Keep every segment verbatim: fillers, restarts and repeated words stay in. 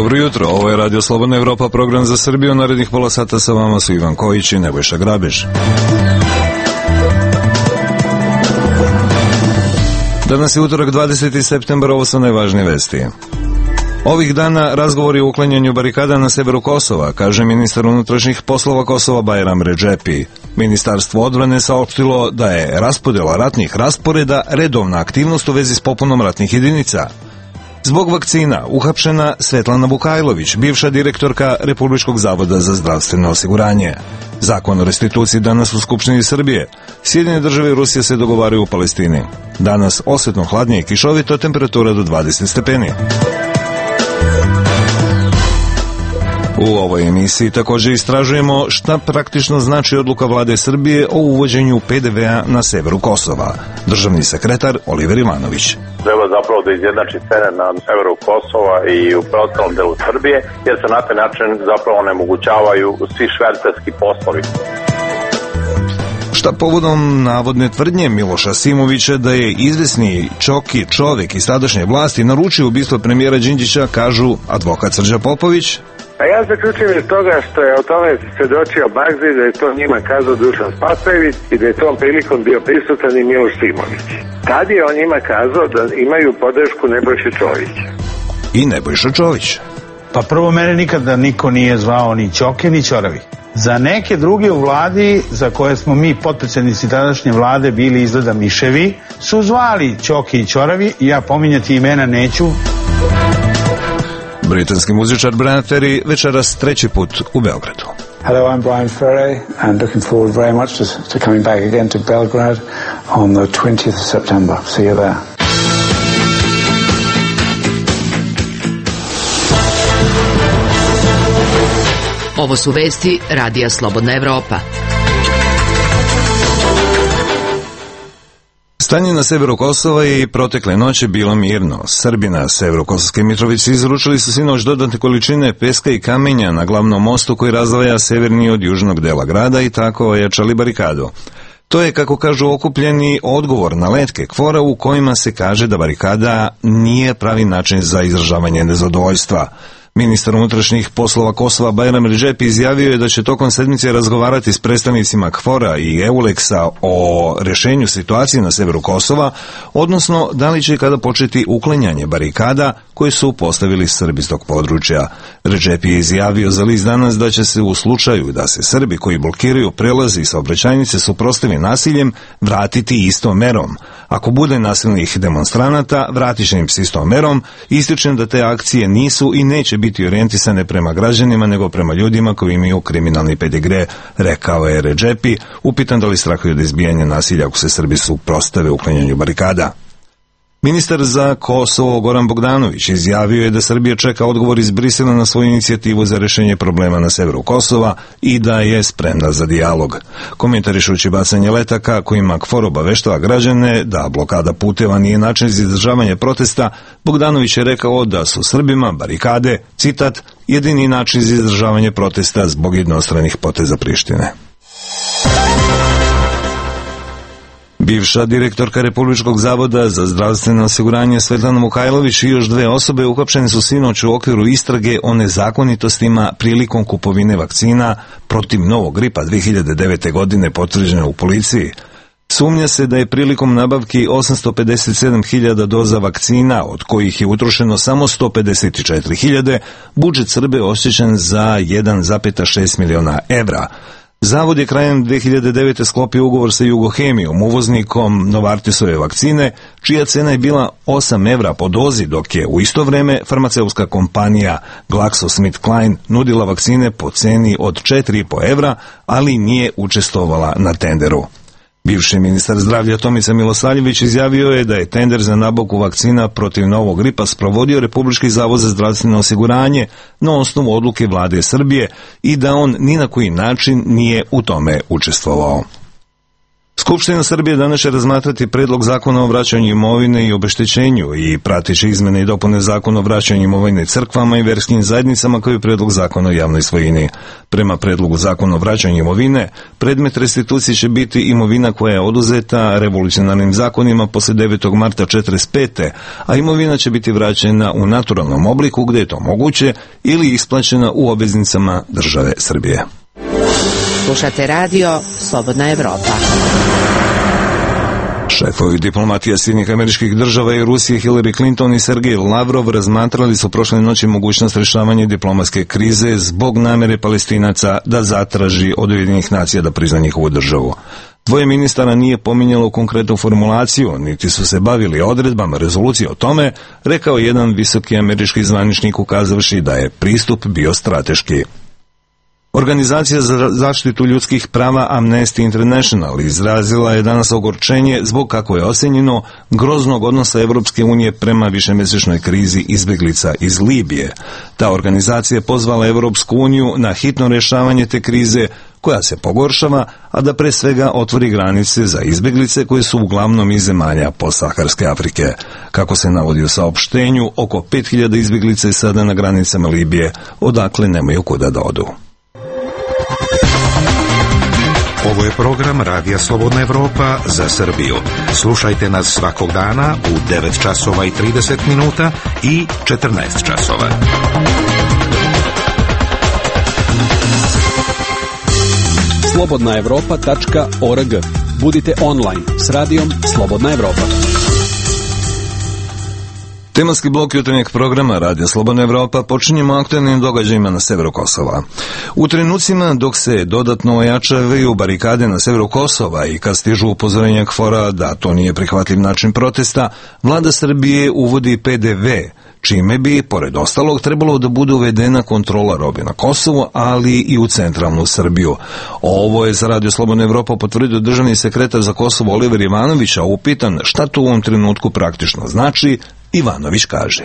Dobro jutro, ovo je Radio Slobodna Evropa, program za Srbiju. Narednih pola sata sa vama su Ivan Kojić i Nebojša Grabež. Danas je utorak, dvadeseti septembar, ovo su najvažnije vesti. Ovih dana razgovori o uklanjanju barikada na severu Kosova, kaže ministar unutrašnjih poslova Kosova Bajram Redžepi. Ministarstvo odbrane saopštilo da je raspodjela ratnih rasporeda redovna aktivnost u vezi s popunom ratnih jedinica. Zbog vakcina uhapšena Svetlana Vukajlović, bivša direktorka Republičkog zavoda za zdravstveno osiguranje. Zakon o restituciji danas u Skupštini Srbije. Sjedinjene države i Rusija se dogovaraju u Palestini. Danas osjetno hladnije i kišovito, temperatura do dvadeset stepeni. U ovoj emisiji također istražujemo šta praktično znači odluka vlade Srbije o uvođenju pe de vea na severu Kosova. Državni sekretar Oliver Ivanović. Treba zapravo da izjednači cene na severu Kosova i u preostalom delu Srbije, jer se na taj način zapravo onemogućavaju svi švercerski poslovi. Šta povodom navodne tvrdnje Miloša Simovića da je izvesni Čoki čovek iz tadašnje vlasti naručio ubistvo premijera Đinđića, kažu advokat Srđa Popović. A ja zaključujem iz toga što je o tome svedočio Bagzi, da je to njima kazao Dušan Spasojević i da je tom prilikom bio prisutan i Miloš Simović. Tad je on njima kazao da imaju podršku Nebojše Čovića. I Nebojša Čović. Pa prvo, mene nikada niko nije zvao ni Ćoke ni Ćoravi. Za neke druge u vladi, za koje smo mi potpredsjednici tadašnje vlade bili izgleda miševi, su zvali Ćoke i Ćoravi i ja pominjati imena neću. Britanski muzičar Brian Ferry večeras treći put u Beogradu. Hello, I'm Brian Ferry and looking forward very much to, to coming back again to Belgrade on the twentieth of September. See you there. Ovo su vesti Radija Slobodna Evropa. Stanje na severu Kosova je i protekle noći bilo mirno. Srbi na severu Kosovske Mitrovice izručili su sinoć dodatne količine peska i kamenja na glavnom mostu koji razdvaja severni od južnog dela grada i tako ojačali barikadu. To je, kako kažu okupljeni, odgovor na letke KFOR-a u kojima se kaže da barikada nije pravi način za izražavanje nezadovoljstva. Ministar unutrašnjih poslova Kosova Bajram Redžepi izjavio je da će tokom sedmice razgovarati s predstavnicima KFOR-a i EULEX-a o rješenju situacije na severu Kosova, odnosno da li će kada početi uklanjanje barikada koje su postavili Srbi iz tog područja. Redžepi je izjavio za list Danas da će se u slučaju da se Srbi koji blokiraju prelazi i saobraćajnice suprotstavi nasiljem vratiti istom merom. Ako bude nasilnih demonstranata, vratit će im se istom merom. Ističem da te akcije nisu i neće biti orijentisane prema građanima, nego prema ljudima koji imaju kriminalni pedigre, rekao je Redžepi, upitan da li strahuju od izbijanja nasilja ako se Srbi suprotstave uklanjanju barikada. Ministar za Kosovo Goran Bogdanović izjavio je da Srbija čeka odgovor iz Brisela na svoju inicijativu za rješenje problema na severu Kosova i da je spremna za dijalog. Komentarišući bacanje letaka kojima KFOR obaveštava građane da blokada puteva nije način za izdržavanje protesta, Bogdanović je rekao da su Srbima barikade, citat, jedini način za izdržavanje protesta zbog jednostranih poteza Prištine. Bivša direktorka Republičkog zavoda za zdravstveno osiguranje Svetlana Vukajlović i još dve osobe uhapšene su sinoć u okviru istrage o nezakonitostima prilikom kupovine vakcina protiv novog gripa dve hiljade devete. godine potvrđene u policiji. Sumnja se da je prilikom nabavki osamsto pedeset sedam hiljada doza vakcina, od kojih je utrošeno samo sto pedeset četiri hiljade, budžet Srbije oštećen za jedan zarez šest miliona evra. Zavod je krajem dve hiljade devete. sklopio ugovor sa Jugohemijom, uvoznikom Novartisove vakcine, čija cena je bila osam evra po dozi, dok je u isto vrijeme farmaceutska kompanija GlaxoSmithKline nudila vakcine po ceni od četiri i po evra, ali nije učestvovala na tenderu. Bivši ministar zdravlja Tomica Milosavljević izjavio je da je tender za nabavku vakcina protiv novog gripa sprovodio Republički zavod za zdravstveno osiguranje na osnovu odluke vlade Srbije i da on ni na koji način nije u tome učestvovao. Skupština Srbije danas će razmatrati predlog zakona o vraćanju imovine i obeštećenju i prateće izmene i dopune zakona o vraćanju imovine crkvama i verskim zajednicama kao i predlog zakona o javnoj svojini. Prema predlogu zakona o vraćanju imovine, predmet restitucije će biti imovina koja je oduzeta revolucionarnim zakonima posle devetog marta četrdeset pete. a imovina će biti vraćena u naturalnom obliku gde je to moguće ili isplaćena u obveznicama države Srbije. Slušate radio Slobodna Evropa. Šefovi diplomatija Sjedinjenih Američkih Država i Rusije Hillary Clinton i Sergej Lavrov razmatrali su prošle noći mogućnost rešavanja diplomatske krize zbog namere Palestinaca da zatraži od Ujedinjenih nacija da prizna njihovu državu. Dvoje ministara nije pominjalo konkretnu formulaciju, niti su se bavili odredbama rezolucije o tome, rekao jedan visoki američki zvaničnik ukazavši da je pristup bio strateški. Organizacija za zaštitu ljudskih prava Amnesty International izrazila je danas ogorčenje zbog, kako je ocenjeno, groznog odnosa Evropske unije prema višemesečnoj krizi izbeglica iz Libije. Ta organizacija je pozvala Evropsku uniju na hitno rješavanje te krize koja se pogoršava, a da pre svega otvori granice za izbeglice koje su uglavnom iz zemalja postsaharske Afrike. Kako se navodi u saopštenju, oko pet hiljada izbeglica je sada na granicama Libije, odakle nemaju kuda da odu. Ovo je program Radija Slobodna Evropa za Srbiju. Slušajte nas svakog dana u devet časova i trideset minuta i četrnaest časova. slobodna evropa tačka org. Budite online s radijom Slobodna Evropa. Tematski blok jutarnjeg programa Radija Slobodna Evropa počinjemo aktualnim događajima na severu Kosova. U trenucima dok se dodatno ojačavaju barikade na severu Kosova i kad stižu upozorenja KFOR-a da to nije prihvatljiv način protesta, vlada Srbije uvodi P D V, čime bi, pored ostalog, trebalo da bude uvedena kontrola robe na Kosovu, ali i u centralnu Srbiju. Ovo je za Radio Slobodna Evropa potvrdio državni sekretar za Kosovo Oliver Ivanović, a upitan šta to u ovom trenutku praktično znači, Ivanović kaže.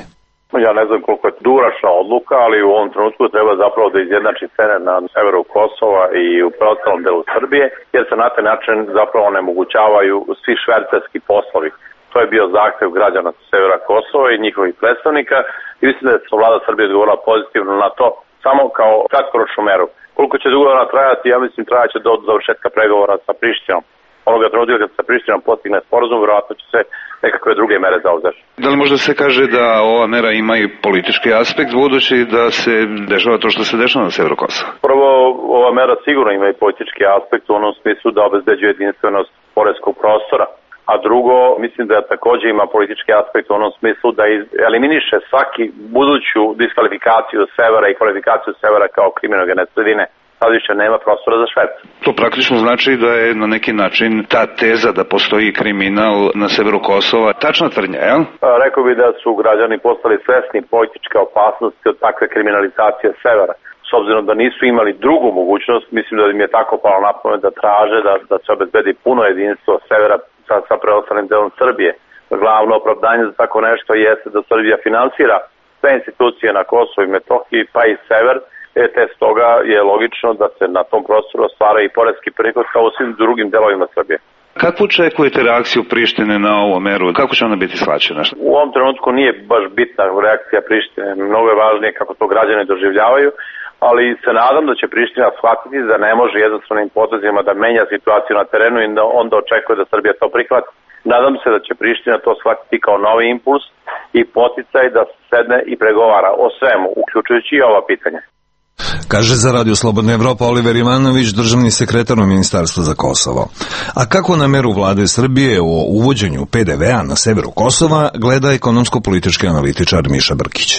Ja ne znam koliko je dugoročna odluka, ali u ovom trenutku treba zapravo da izjednači cene na severu Kosova i u preostalom delu Srbije, jer se na taj način zapravo onemogućavaju svi švercerski poslovi. To je bio zahtev građana sa severa Kosova i njihovih predstavnika i mislim da je vlada Srbije odgovorila pozitivno na to samo kao kratkoročnu meru. Koliko će dugo ona trajati, ja mislim trajaće do završetka pregovora sa Prištinom. Onoga trenutka kad se Prištinom postigne sporazum, vjerojatno će se nekakve druge mere zauzeti. Da li možda se kaže da ova mera ima i politički aspekt, budući da se dešava to što se dešava na severu Kosova? Prvo, ova mera sigurno ima i politički aspekt u onom smislu da obezbeđuje jedinstvenost poreskog prostora. A drugo, mislim da također ima politički aspekt u onom smislu da eliminiše svaki buduću diskvalifikaciju severa i kvalifikaciju severa kao kriminogene sredine. Sad više nema prostora za šverc. To praktično znači da je na neki način ta teza da postoji kriminal na severu Kosova tačna tvrdnja, jel? Rekao bi da su građani postali svesni političke opasnosti od takve kriminalizacije severa. S obzirom da nisu imali drugu mogućnost, mislim da im je tako palo na pamet da traže da, da se obezbedi puno jedinstvo severa sa, sa preostalim delom Srbije. Glavno opravdanje za tako nešto jeste da Srbija finansira sve institucije na Kosovu i Metohiji, pa i sever, e, te stoga je logično da se na tom prostoru ostvara i poreski prihod kao u svim drugim delovima Srbije. Kako očekujete reakciju Prištine na ovu meru? Kako će ona biti shvaćena? U ovom trenutku nije baš bitna reakcija Prištine. Mnogo je važnije kako to građani doživljavaju, ali se nadam da će Priština shvatiti da ne može jednostavnim potezima da menja situaciju na terenu i da onda očekuje da Srbija to prihvati. Nadam se da će Priština to shvatiti kao novi impuls i poticaj da sedne i pregovara o svemu, uključujući i ova pitanja. Kaže za Radio Slobodna Evropa Oliver Ivanović, državni sekretar u Ministarstvu za Kosovo. A kako na meru vlade Srbije o uvođenju P D V-a na severu Kosova gleda ekonomsko-politički analitičar Miša Brkić?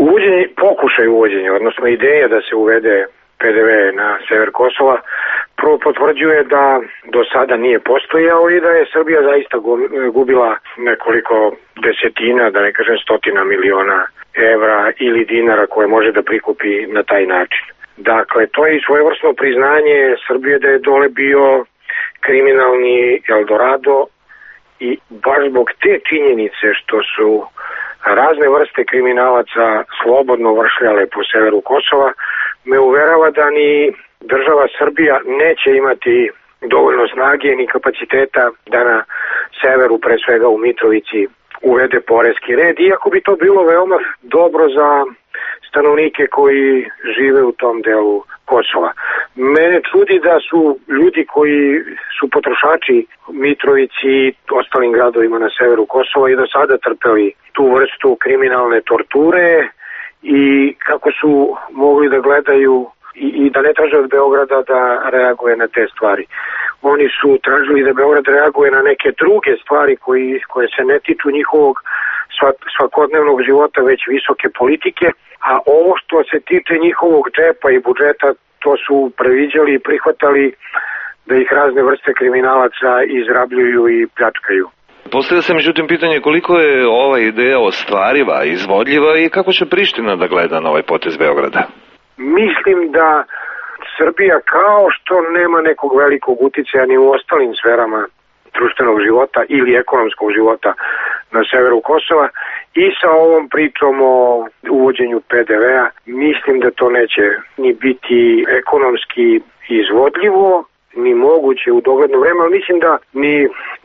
Uvođenje, pokušaj uvođenja, odnosno ideja da se uvede P D V na sever Kosova, prvo potvrđuje da do sada nije postojao i da je Srbija zaista gubila nekoliko desetina, da ne kažem stotina miliona evra ili dinara koje može da prikupi na taj način. Dakle, to je i svojevrsno priznanje Srbije da je dole bio kriminalni Eldorado i baš zbog te činjenice što su razne vrste kriminalaca slobodno vršljale po severu Kosova, me uverava da ni država Srbija neće imati dovoljno snage ni kapaciteta da na severu, pre svega u Mitrovici, uvede poreski red, iako bi to bilo veoma dobro za stanovnike koji žive u tom delu Kosova. Mene čudi da su ljudi koji su potrošači Mitrovici i ostalim gradovima na severu Kosova i do sada trpeli tu vrstu kriminalne torture i kako su mogli da gledaju i, i da ne traže od Beograda da reaguje na te stvari. Oni su tražili da Beograd reaguje na neke druge stvari koji, koje se ne tiču njihovog svakodnevnog života, već visoke politike, a ovo što se tiče njihovog džepa i budžeta, to su previđali i prihvatali da ih razne vrste kriminalaca izrabljuju i pljačkaju. Postavlja se međutim pitanje koliko je ova ideja ostvariva, izvodljiva i kako će Priština da gleda na ovaj potez Beograda? Mislim da Srbija, kao što nema nekog velikog uticaja ni u ostalim sferama društvenog života ili ekonomskog života na severu Kosova, i sa ovom pričom o uvođenju P D V-a, mislim da to neće ni biti ekonomski izvodljivo, ni moguće u dogledno vreme, ali mislim da ni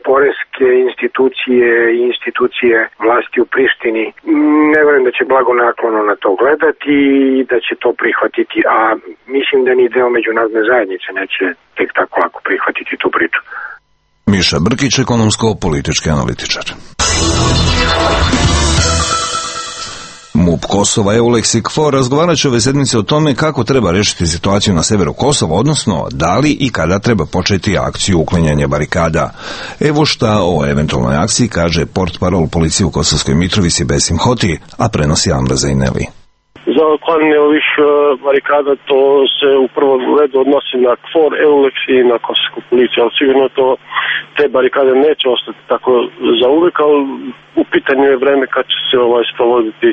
poreske institucije i institucije vlasti u Prištini ne verujem da će blagonaklono na to gledati i da će to prihvatiti, a mislim da ni deo međunarodne zajednice neće tek tako lako prihvatiti tu priču. Miša Brkić, ekonomsko-politički analitičar. MUP Kosova Eulex i KFOR razgovarat će ove sedmice o tome kako treba rešiti situaciju na severu Kosova, odnosno da li i kada treba početi akciju uklanjanja barikada. Evo šta o eventualnoj akciji kaže portparol policije u Kosovskoj Mitrovici Besim Hoti, a prenosi Amra Zajneli. Za uklanjanje ovih barikada to se u prvom redu odnosi na KFOR, Eulex i na Kosovsku policiju, ali sigurno to te barikade neće ostati tako za uvek, ali u pitanju je vreme kad će se ovaj sprovoditi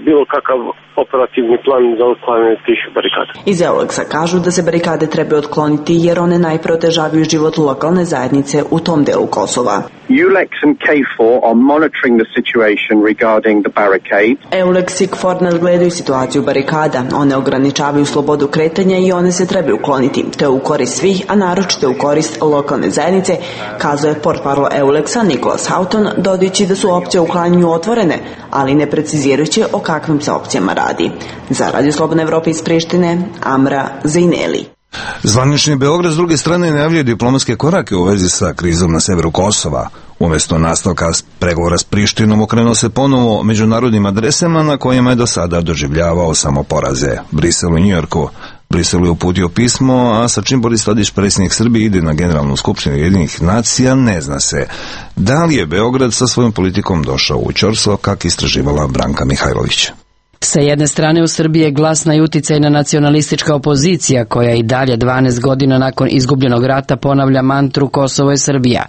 bilo kakav operativni plan za uklanjanje tih barikada. Iz Eulexa kažu da se barikade treba otkloniti jer one najprotežavaju život lokalne zajednice u tom delu Kosova. Eulex and K four are monitoring the situation regarding the barricades. Eulex i KFOR nadgledaju situaciju barikada. One ograničavaju slobodu kretanja i one se treba ukloniti. To je u korist svih, a naročito u korist lokalne zajednice, kazuje portparol Eulexa Nikolas Houghton, dodajući da su opcije u uklanjanju otvorene, ali ne precizirajući o kakvim se opcijama radi. Za Radio Slobodna Evropa iz Prištine, Amra Zajneli. Zvanični Beograd s druge strane najavljuje diplomatske korake u vezi sa krizom na severu Kosova. Umjesto nastavka pregovora s Prištinom okrenuo se ponovo međunarodnim adresama na kojima je do sada doživljavao samo poraze. Brisel u Njujorku. Brisel je uputio pismo, a sa čim Boris Tadić, predsjednik Srbije, ide na Generalnu skupštinu Ujedinjenih nacija, ne zna se. Da li je Beograd sa svojom politikom došao u ćorstvo, kako istraživala Branka Mihajlović? Sa jedne strane u Srbiji je glasna i uticajna nacionalistička opozicija koja i dalje dvanaest godina nakon izgubljenog rata ponavlja mantru Kosovo je Srbija.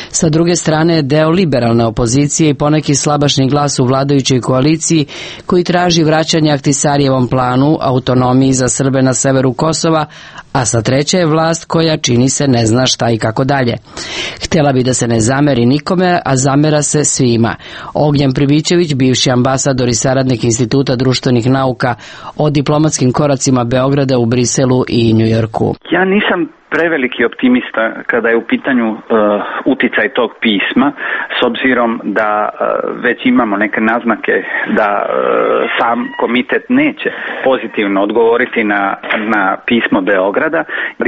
Sa druge strane je deo liberalne opozicije i poneki slabašni glas u vladajućoj koaliciji koji traži vraćanje Ahtisarijevom planu, autonomiji za Srbe na severu Kosova, a sa treće je vlast koja čini se ne zna šta i kako dalje. Htjela bi da se ne zameri nikome, a zamera se svima. Ognjen Pribićević, bivši ambasador i saradnik Instituta društvenih nauka o diplomatskim koracima Beograda u Briselu i Njujorku. Ja nisam preveliki optimista kada je u pitanju uh, uticaj tog pisma, s obzirom da uh, već imamo neke naznake da uh, sam komitet neće pozitivno odgovoriti na, na pismo Beograda.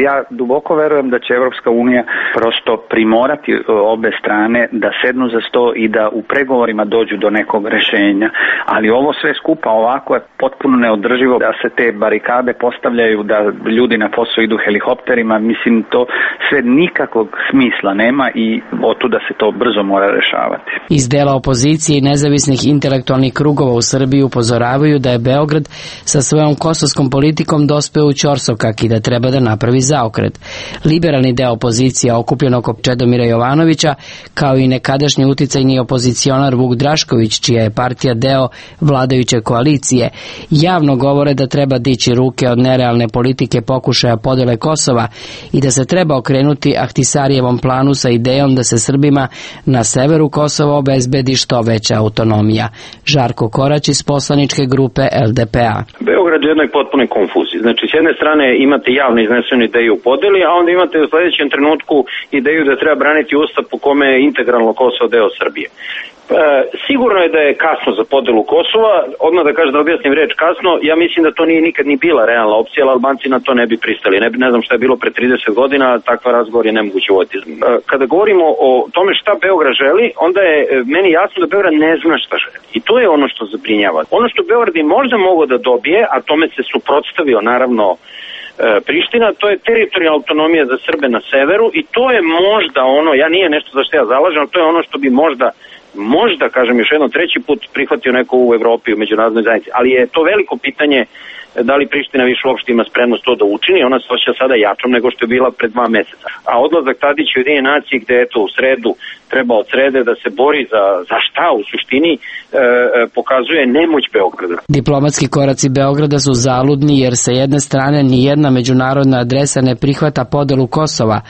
Ja duboko verujem da će Evropska unija prosto primorati uh, obe strane da sednu za sto i da u pregovorima dođu do nekog rešenja, ali ovo sve skupa ovako je potpuno neodrživo da se te barikade postavljaju, da ljudi na posao idu helikopterima. Mislim, to sve nikakvog smisla nema i otuda se to brzo mora rešavati. Iz dela opozicije i nezavisnih intelektualnih krugova u Srbiji upozoravaju da je Beograd sa svojom kosovskom politikom dospeo u ćorsokak i da treba da napravi zaokret. Liberalni deo opozicije okupljen oko Čedomira Jovanovića, kao i nekadašnji uticajni opozicionar Vuk Drašković, čija je partija deo vladajuće koalicije, javno govore da treba dići ruke od nerealne politike pokušaja podele Kosova i da se treba okrenuti Ahtisarijevom planu sa idejom da se Srbima na severu Kosova obezbedi što veća autonomija. Žarko Korać iz poslaničke grupe L D P A. Beograd je u jednoj potpunoj konfuziji. Znači, s jedne strane imate javno iznesenu ideju u podeli, a onda imate u sledećem trenutku ideju da treba braniti ustav po kome je integralno Kosovo deo Srbije. E, sigurno je da je kasno za podelu Kosova, odmah da kažem da objasnim reč kasno, ja mislim da to nije nikad ni bila realna opcija, ali Albanci na to ne bi pristali. Ne, ne znam šta je bilo pre trideset godina, takva razgovor je nemoguće voditi. E, kada govorimo o tome šta Beograd želi, onda je meni jasno da Beograd ne zna šta želi. I to je ono što zabrinjava. Ono što Beograd i možda mogao da dobije, a tome se suprotstavio naravno Priština, to je teritorijalna autonomija za Srbe na severu i to je možda ono, ja nije nešto za što ja zalažem, to je ono što bi možda, možda, kažem još jednom, treći put prihvatio neko u Evropi, u međunarodnoj zajednici, ali je to veliko pitanje da li Priština više uopšte ima spremnost to da učini, ona se osjeća sada jačom nego što je bila pred dva meseca. A odlazak Tadića u Ujedinjene nacije gde eto u sredu treba od srede da se bori za, za šta u suštini e, pokazuje nemoć Beograda. Diplomatski koraci Beograda su zaludni jer sa jedne strane ni jedna međunarodna adresa ne prihvata podelu Kosova,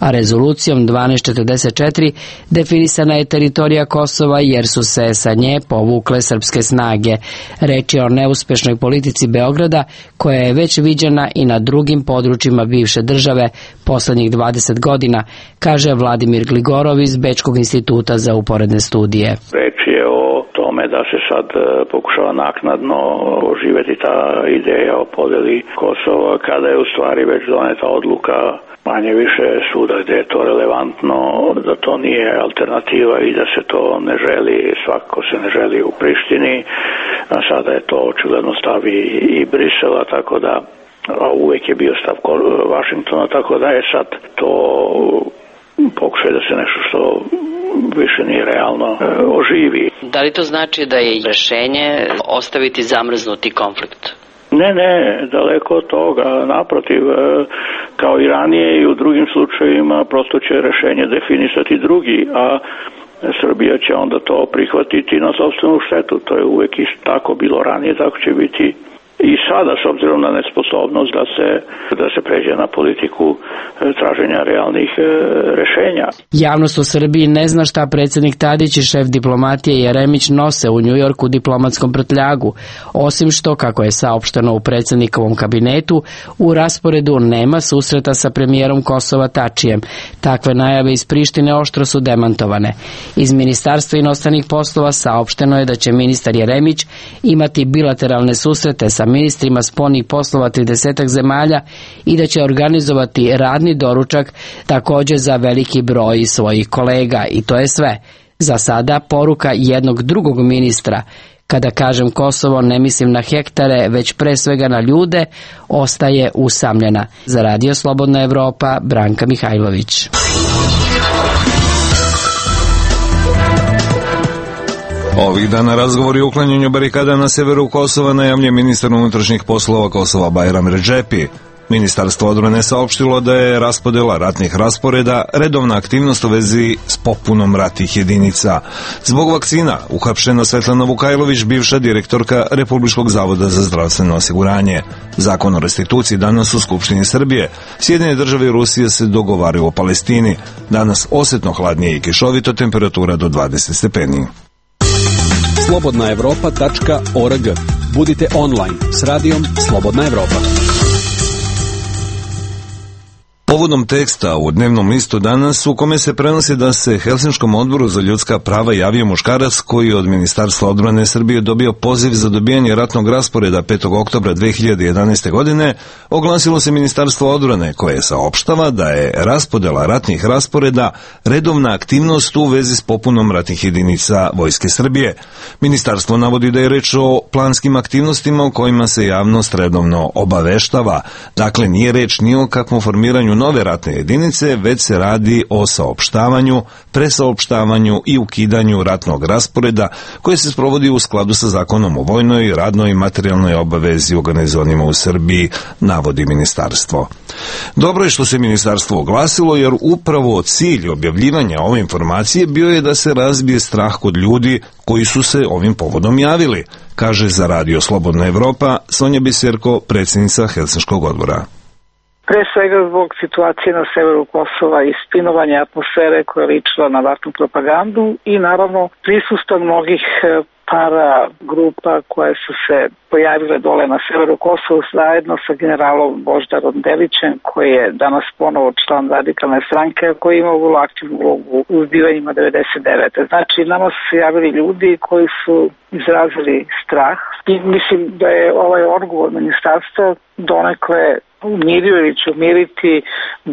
a rezolucijom dvanaest četrdeset četiri definisana je teritorija Kosova jer su se sa nje povukle srpske snage. Reč je o neuspešnoj politici Beograda koja je već viđena i na drugim područjima bivše države poslednjih dvadeset godina, kaže Vladimir Gligorov iz Bečkog instituta za uporedne studije. Reč je o tome da se sad pokušava naknadno oživeti ta ideja o podeli Kosova, kada je u stvari već doneta odluka manje više suda gde je to relevantno, da to nije alternativa i da se to ne želi, svakako se ne želi u Prištini, a sada je to očigledno stavi i Brisela, tako da a uvek je bio stav Vašingtona, tako da je sad to pokušaj da se nešto što više nije realno oživi. Da li to znači da je rešenje ostaviti zamrznuti konflikt? Ne, ne, daleko od toga, naprotiv, kao i ranije i u drugim slučajevima prosto će rešenje definisati drugi, a Srbija će onda to prihvatiti na sopstvenu štetu, to je uvek isto tako bilo ranije, tako će biti i sada, s obzirom na nesposobnost da se, da se pređe na politiku traženja realnih e, rešenja. Javnost u Srbiji ne zna šta predsjednik Tadić i šef diplomatije Jeremić nose u Njujorku diplomatskom prtljagu, osim što, kako je saopšteno u predsjednikovom kabinetu, u rasporedu nema susreta sa premijerom Kosova Tačijem. Takve najave iz Prištine oštro su demantovane. Iz Ministarstva inostranih poslova saopšteno je da će ministar Jeremić imati bilateralne susrete sa ministrima spoljnih poslova tridesetak zemalja i da će organizovati radni doručak također za veliki broj svojih kolega. I to je sve. Za sada poruka jednog drugog ministra, kada kažem Kosovo ne mislim na hektare, već pre svega na ljude, ostaje usamljena. Za Radio Slobodna Evropa, Branka Mihajlović. Ovih dana razgovori o uklanjanju barikada na severu Kosova najavljuje ministar unutrašnjih poslova Kosova Bajram Redžepi. Ministarstvo odbrane saopštilo da je raspodela ratnih rasporeda redovna aktivnost u vezi s popunom ratnih jedinica. Zbog vakcina uhapšena Svetlana Vukajlović, bivša direktorka Republičkog zavoda za zdravstveno osiguranje. Zakon o restituciji danas u Skupštini Srbije. Sjedinjene države i Rusija se dogovaraju o Palestini. Danas osetno hladnije i kišovito, temperatura do dvadeset stepeni. slobodna evropa tačka org. Budite online s radijom Slobodna Evropa. Povodom teksta u dnevnom listu danas u kome se prenosi da se Helsinškom odboru za ljudska prava javio muškarac koji od Ministarstva odbrane Srbije dobio poziv za dobijanje ratnog rasporeda petog oktobra dve hiljade jedanaeste. godine, oglasilo se Ministarstvo odbrane koje saopštava da je raspodela ratnih rasporeda redovna aktivnost u vezi s popunom ratnih jedinica Vojske Srbije. Ministarstvo navodi da je reč o planskim aktivnostima o kojima se javnost redovno obaveštava. Dakle, nije reč ni o kakvom formiranju nove ratne jedinice, već se radi o saopštavanju, presaopštavanju i ukidanju ratnog rasporeda koje se sprovodi u skladu sa zakonom o vojnoj, radnoj i materijalnoj obavezi organizovanima u Srbiji, navodi ministarstvo. Dobro je što se ministarstvo oglasilo, jer upravo cilj objavljivanja ove informacije bio je da se razbije strah kod ljudi koji su se ovim povodom javili, kaže za Radio Slobodna Evropa Sonja Biserko, predsjednica Helsinškog odbora. Pre svega zbog situacije na severu Kosova i spinovanja atmosfere koja je ličila na ratnu propagandu i naravno prisustva mnogih para grupa koje su se pojavile dole na severu Kosova zajedno sa generalom Boždarom Delićem koji je danas ponovo član radikalne stranke koji ima vrlo aktivnu ulogu u zbivanjima devedeset devete. Znači nama su se javili ljudi koji su izrazili strah i mislim da je ovaj odgovor ministarstva donekle umirio ili će umiriti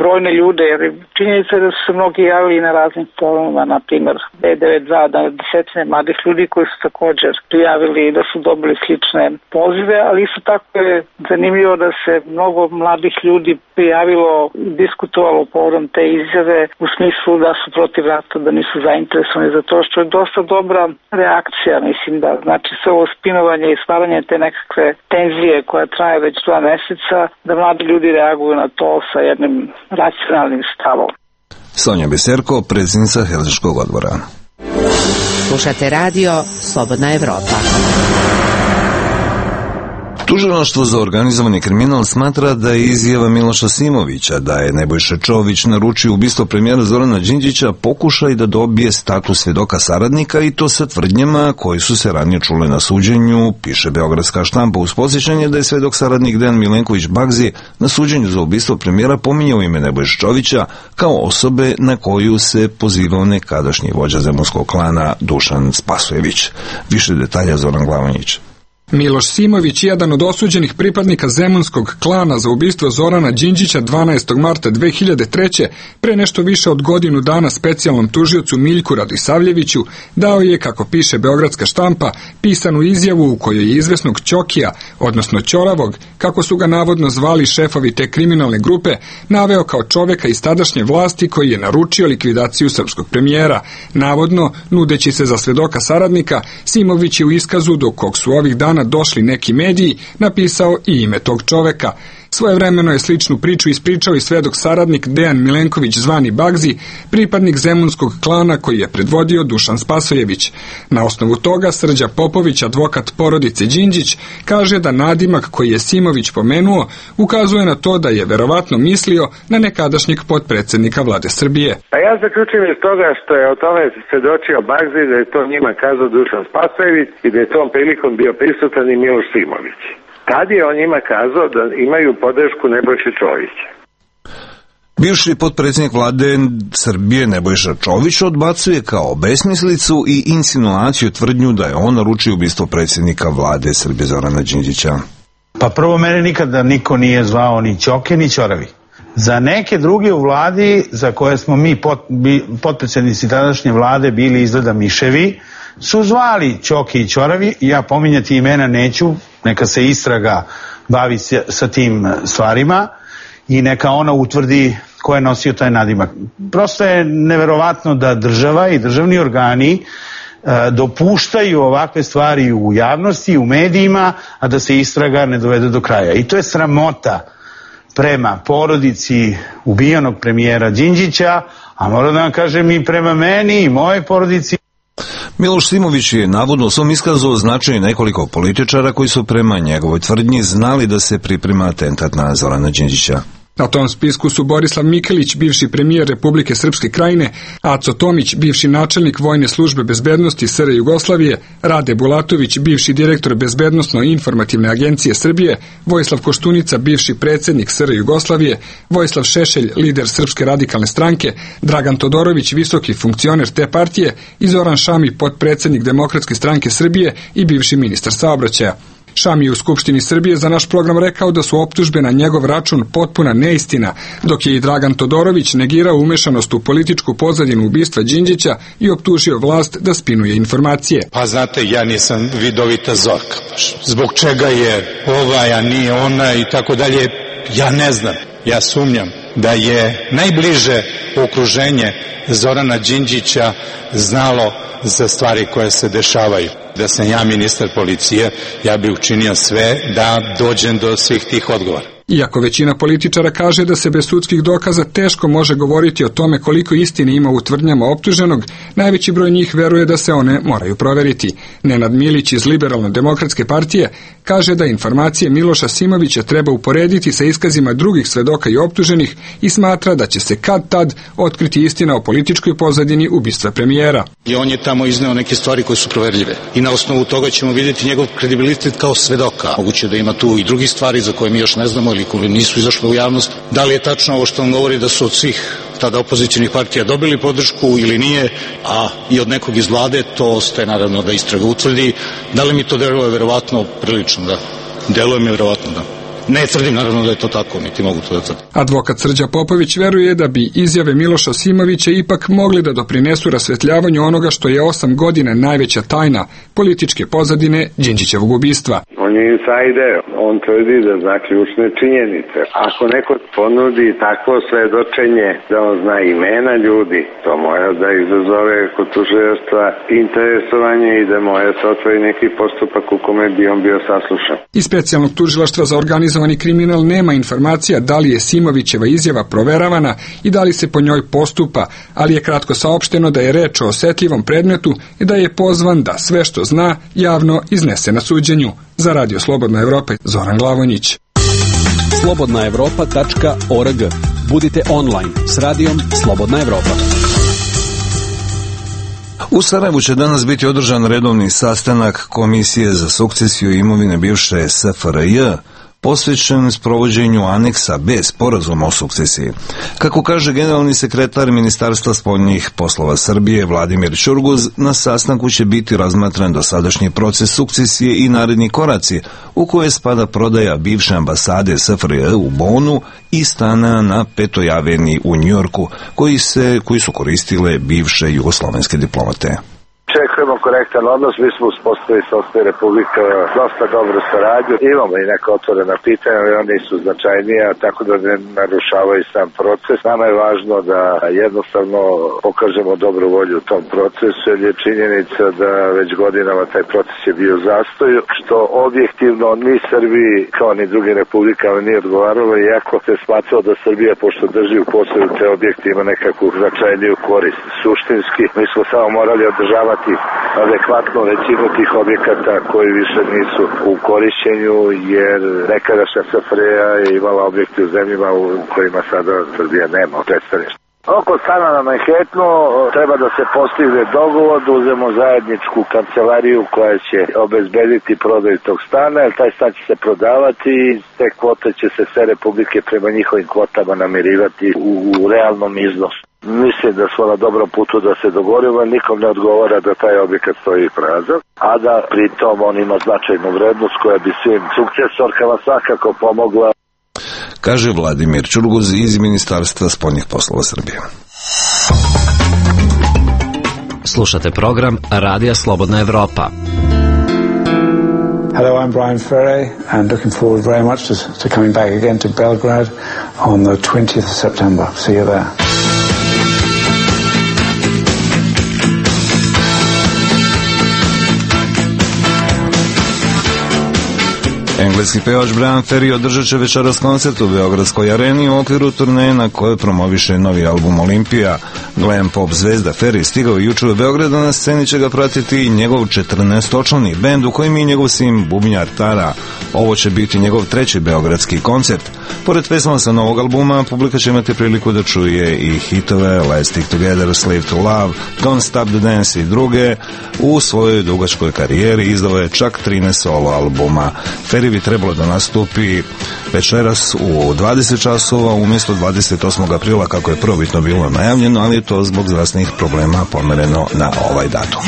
brojne ljude, jer činjenica je da su se mnogi javili na raznim forumima, na primjer B devedeset dva, da desetine mladih ljudi koji su također prijavili da su dobili slične pozive, ali isto tako je zanimljivo da se mnogo mladih ljudi prijavilo i diskutovalo povodom te izjave u smislu da su protiv rata, da nisu zainteresovani za to, što je dosta dobra reakcija, mislim da znači sve ovo spinovanje i stvaranje te nekakve tenzije koja traje već dva meseca, da mladi ljudi reaguju na to sa jednim racionalnim stavom. Sonja Biserko, predsjednica Helsinškog odbora. Slušate radio Slobodna Evropa. Tužilaštvo za organizovani kriminal smatra da je izjava Miloša Simovića da je Nebojša Čović naručio ubistvo premijera Zorana Đinđića pokušaj da dobije status svjedoka saradnika i to sa tvrdnjama koji su se ranije čule na suđenju, piše Beogradska štampa uz podsjećanje da je svedok saradnik Dejan Milenković Bagzi na suđenju za ubistvo premijera pominjao ime Nebojša Čovića kao osobe na koju se pozivao nekadašnji vođa zemunskog klana Dušan Spasojević. Više detalja Zoran Glavonjić. Miloš Simović, jedan od osuđenih pripadnika zemunskog klana za ubistvo Zorana Đinđića dvanaestog marta dve hiljade treće. pre nešto više od godinu dana specijalnom tužiocu Miljku Radisavljeviću dao je, kako piše Beogradska štampa, pisanu izjavu u kojoj je izvesnog Ćokija, odnosno Ćoravog, kako su ga navodno zvali šefovi te kriminalne grupe, naveo kao čoveka iz tadašnje vlasti koji je naručio likvidaciju srpskog premijera. Navodno, nudeći se za svedoka saradnika, Simović je u iskazu do kog su ovih dana došli neki mediji, napisao i ime tog čoveka. Svojevremeno je sličnu priču ispričao i svedok saradnik Dejan Milenković zvani Bagzi, pripadnik zemunskog klana koji je predvodio Dušan Spasojević. Na osnovu toga Srđa Popović, advokat porodice Đinđić, kaže da nadimak koji je Simović pomenuo ukazuje na to da je verovatno mislio na nekadašnjeg potpredsjednika vlade Srbije. A ja zaključujem iz toga što je o tome svedočio Bagzi, da je to njima kazao Dušan Spasojević i da je tom prilikom bio prisutan i Miloš Simović. Tad je on njima kazao da imaju podršku Nebojše Čovića. Bivši potpredsjednik vlade Srbije Nebojša Čović odbacuje kao besmislicu i insinuaciju tvrdnju da je on naručio ubistvo predsjednika vlade Srbije Zorana Đinđića. Pa prvo, mene nikada niko nije zvao ni Ćoke ni Ćoravi. Za neke druge u vladi za koje smo mi pot, bi, potpredsjednici tadašnje vlade bili izgleda miševi, su zvali Ćoke i Ćoravi. Ja pominjati imena neću, neka se istraga bavi sa tim stvarima i neka ona utvrdi ko je nosio taj nadimak. Prosto je neverovatno da država i državni organi e, dopuštaju ovakve stvari u javnosti, u medijima, a da se istraga ne dovede do kraja. I to je sramota prema porodici ubijenog premijera Đinđića, a moram da vam kažem i prema meni i moje porodici. Miloš Simović je navodno u svom iskazu označio nekoliko političara koji su prema njegovoj tvrdnji znali da se priprema atentat na Zorana Đinđića. Na tom spisku su Borislav Mikelić, bivši premijer Republike Srpske Krajine, Aco Tomić, bivši načelnik Vojne službe bezbednosti S R Jugoslavije, Rade Bulatović, bivši direktor Bezbednosno-informativne agencije Srbije, Vojislav Koštunica, bivši predsjednik S R Jugoslavije, Vojislav Šešelj, lider Srpske radikalne stranke, Dragan Todorović, visoki funkcioner te partije i Zoran Šami, potpredsjednik Demokratske stranke Srbije i bivši ministar saobraćaja. Šami je u Skupštini Srbije za naš program rekao da su optužbe na njegov račun potpuna neistina, dok je i Dragan Todorović negirao umešanost u političku pozadinu ubistva Đinđića i optužio vlast da spinuje informacije. Pa znate, ja nisam vidovita Zorka. Zbog čega je ovaj, a nije ona i tako dalje, ja ne znam. Ja sumnjam da je najbliže okruženje Zorana Đinđića znalo za stvari koje se dešavaju. Da sam ja ministar policije, ja bih učinio sve da dođem do svih tih odgovora. Iako većina političara kaže da se bez sudskih dokaza teško može govoriti o tome koliko istine ima u tvrdnjama optuženog, najveći broj njih veruje da se one moraju proveriti. Nenad Milić iz Liberalno-demokratske partije kaže da informacije Miloša Simovića treba uporediti sa iskazima drugih svedoka i optuženih i smatra da će se kad tad otkriti istina o političkoj pozadini ubistva premijera. I on je tamo izneo neke stvari koje su proverljive i na osnovu toga ćemo vidjeti njegov kredibilitet kao svedoka. Moguće da ima tu i drugih stvari za koje mi još ne znamo ili koje nisu izašle u javnost. Da li je tačno ovo što on govori da su od svih tada opozicijnih partija dobili podršku ili nije, a i od nekog iz vlade, to ostaje naravno da istraga utvrdi. Da li mi to deluje verovatno prilično, da. Deluje mi verovatno, da. Ne tvrdim naravno da je to tako, niti mogu to da tvrdim. Advokat Srđa Popović veruje da bi izjave Miloša Simovića ipak mogli da doprinesu rasvetljavanju onoga što je osam godina najveća tajna političke pozadine Đinđićevog ubistva. On je insajder, on tvrdi da zna ključne činjenice. Ako neko ponudi takvo svedočenje da on zna imena ljudi, to mora da izazove kod tužilaštva interesovanje i da mora se otvori neki postupak u kome bi on bio saslušan. Iz specijalnog tužilaštva za organizovani kriminal nema informacija da li je Simovićeva izjava proveravana i da li se po njoj postupa, ali je kratko saopšteno da je reč o osetljivom predmetu i da je pozvan da sve što zna javno iznese na suđenju. Za Radio Slobodna Evropa, Zoran Glavonjić. slobodna evropa tačka org. Budite online s radijom Slobodna Evropa. U Sarajevu će danas biti održan redovni sastanak Komisije za sukcesiju imovine bivše S F R J, posvećen sprovođenju aneksa B sporazuma o sukcesiji. Kako kaže generalni sekretar Ministarstva spoljnih poslova Srbije Vladimir Ćurguz, na sastanku će biti razmatran dosadašnji proces sukcesije i naredni koraci, u koje spada prodaja bivše ambasade S F R J u Bonu i stana na Petoj aveniji u Njujorku, koji se koji su koristile bivše jugoslovenske diplomate. Očekujemo korektan odnos, mi smo uspostavili sa Osnovne Republike dosta dobru saradnju. Imamo i neka otvorena pitanja, ali oni su značajnija, tako da ne narušavaju sam proces. Nama je važno da jednostavno pokažemo dobru volju u tom procesu, jer je činjenica da već godinama taj proces je bio u zastoju, što objektivno ni Srbiji kao ni drugim republikama nije odgovaralo, iako se smatralo da Srbija, pošto drži u posledu te objekte, ima nekakvu značajniju korist. Suštinski, mi smo samo morali održavati adekvatno većinu tih objekata koji više nisu u korišćenju, jer nekadašnja S F R J je imala objekte u zemljima u kojima sada Srbija nema predstavništva. Oko stana na Manhattanu treba da se postigne dogovor, da uzmemo zajedničku kancelariju koja će obezbediti prodaju tog stana, jer taj stan će se prodavati i te kvote će se sve republike prema njihovim kvotama namirivati u, u realnom iznosu. Mislim da smo na dobrom putu da se dogovorimo, nikom ne odgovara da taj objekat stoji prazan, a da pritom on ima značajnu vrednost koja bi svim sukcesorkama svakako pomogla. Kaže Vladimir Ćurguz iz Ministarstva spoljnih poslova Srbije. Slušate program Radija Slobodna Evropa. Hello, I'm Brian Ferry and looking forward very much to, to coming back again to Belgrade on the twentieth of September. See you there. Engleski pevač Brian Ferry održat će večeras koncert u Beogradskoj areni u okviru turneje na kojoj promoviše novi album Olimpija. Glam pop zvezda Ferry stigao jučer u Beogradu, na sceni će ga pratiti i njegov četrnaestočlani bend u kojem je njegov sin bubnjar Tara. Ovo će biti njegov treći beogradski koncert. Pored pesama sa novog albuma, publika će imati priliku da čuje i hitove Let's Stick Together, Slave to Love, Don't Stop the Dance i druge. U svojoj dugačkoj karijeri izdao je čak trinaest solo albuma. Ferry bi trebalo da nastupi večeras u dvadeset časova umjesto dvadeset osmog aprila kako je prvobitno bilo najavljeno, ali je to zbog zdravstvenih problema pomereno na ovaj datum.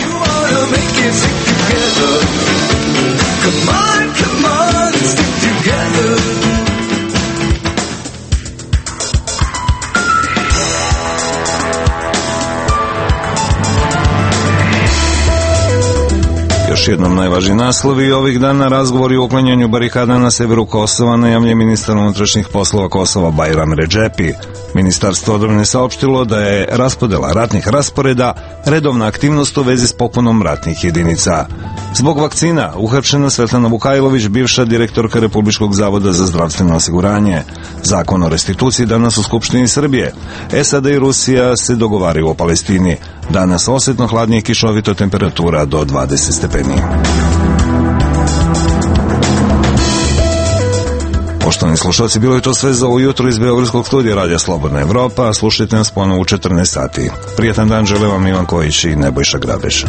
još jednom najvažniji naslovi ovih dana. Razgovori o uklanjanju barikada na severu Kosova najavljen ministar unutrašnjih poslova Kosova Bajram Redžepi. Ministarstvo odbrane saopštilo da je raspodela ratnih rasporeda redovna aktivnost u vezi s popunom ratnih jedinica. Zbog vakcina uhapšena Svetlana Vukajlović, bivša direktorka Republičkog zavoda za zdravstveno osiguranje. Zakon o restituciji danas u Skupštini Srbije. S A D i Rusija se dogovaraju o Palestini. Danas osetno hladnije, kišovito, temperatura do dvadeset stepeni. Poštovani slušalci, bilo je to sve za ovo jutro iz Beogradskog studija Radija Slobodna Evropa. Slušajte nas ponovo u četrnaest sati. Prijetan dan žele vam Ivan Kojić i Nebojša Grabeša.